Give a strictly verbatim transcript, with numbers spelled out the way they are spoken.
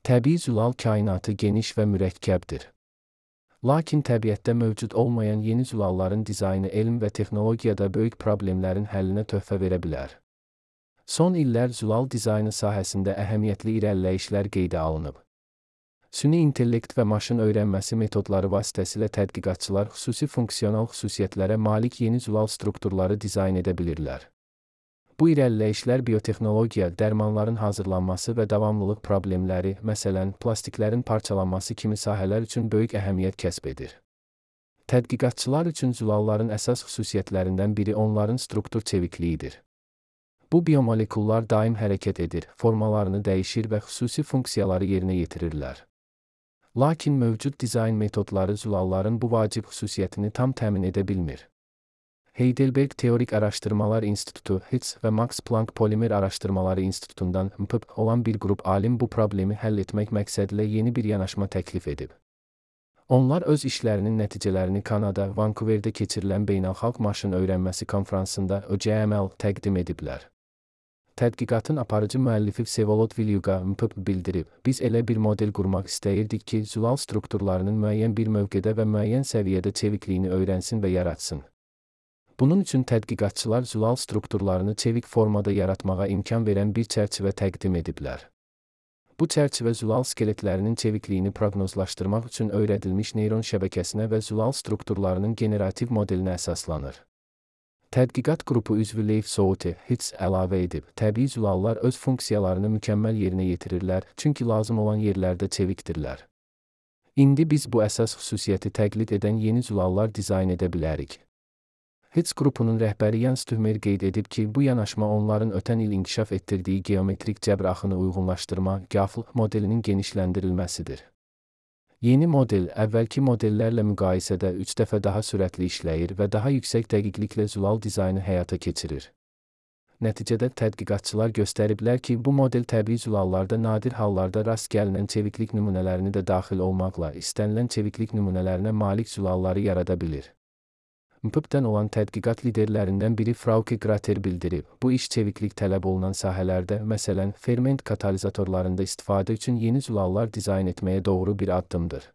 Təbii zülal kainatı geniş və mürəkkəbdir. Lakin təbiətdə mövcud olmayan yeni zülalların dizaynı elm və texnologiyada böyük problemlərin həllinə töhfə verə bilər. Son illər zülal dizaynı sahəsində əhəmiyyətli irəliləyişlər qeydə alınıb. Süni intellekt və maşın öyrənməsi metodları vasitəsilə tədqiqatçılar xüsusi funksional xüsusiyyətlərə malik yeni zülal strukturları dizayn edə bilirlər. Bu irəliləyişlər biotexnologiya, dərmanların hazırlanması və davamlılıq problemləri, məsələn, plastiklərin parçalanması kimi sahələr üçün böyük əhəmiyyət kəsb edir. Tədqiqatçılar üçün zülalların əsas xüsusiyyətlərindən biri onların struktur çevikliyidir. Bu biomolekullar daim hərəkət edir, formalarını dəyişir və xüsusi funksiyaları yerinə yetirirlər. Lakin mövcud dizayn metodları zülalların bu vacib xüsusiyyətini tam təmin edə bilmir. Heidelberg Teorik Araşdırmalar İnstitutu (H I T S) və Max Planck Polimer Araşdırmaları İnstitutundan M P B olan bir qrup alim bu problemi həll etmək məqsədilə yeni bir yanaşma təklif edib. Onlar öz işlərinin nəticələrini Kanada, Vancouverdə keçirilən Beynəlxalq Maşın Öyrənməsi Konfransında O C M L təqdim ediblər. Tədqiqatın aparıcı müəllifi Vsevolod Vilyuga M P B bildirib, biz elə bir model qurmaq istəyirdik ki, zülal strukturlarının müəyyən bir mövqedə və müəyyən səviyyədə çevikliyini öyrənsin və yaratsın. Bunun üçün tədqiqatçılar zülal strukturlarını çevik formada yaratmağa imkan verən bir çərçivə təqdim ediblər. Bu çərçivə zülal skeletlərinin çevikliyini proqnozlaşdırmaq üçün öyrədilmiş neyron şəbəkəsinə və zülal strukturlarının generativ modelinə əsaslanır. Tədqiqat qrupu üzvü Leif Souter, H I T S əlavə edib, təbii zülallar öz funksiyalarını mükəmməl yerinə yetirirlər, çünki lazım olan yerlərdə çevikdirlər. İndi biz bu əsas xüsusiyyəti təqlid edən yeni zülallar dizayn edə bilərik. H I T S qrupunun rəhbəri Jens Tümer qeyd edib ki, bu yanaşma onların ötən il inkişaf etdirdiyi geometrik cəbr axını uyğunlaşdırma (G A F L) modelinin genişləndirilməsidir. Yeni model, əvvəlki modellərlə müqayisədə üç dəfə daha sürətli işləyir və daha yüksək dəqiqliklə zülal dizaynı həyata keçirir. Nəticədə tədqiqatçılar göstəriblər ki, bu model təbii zülallarda nadir hallarda rast gəlinən çeviklik nümunələrini də daxil olmaqla istənilən çeviklik nümunələrinə malik zülalları yarada bilir. M P B-dən olan tədqiqat liderlərindən biri Frauke Grater bildirib, bu iş çeviklik tələb olunan sahələrdə, məsələn, ferment katalizatorlarında istifadə üçün yeni zülallar dizayn etməyə doğru bir addımdır.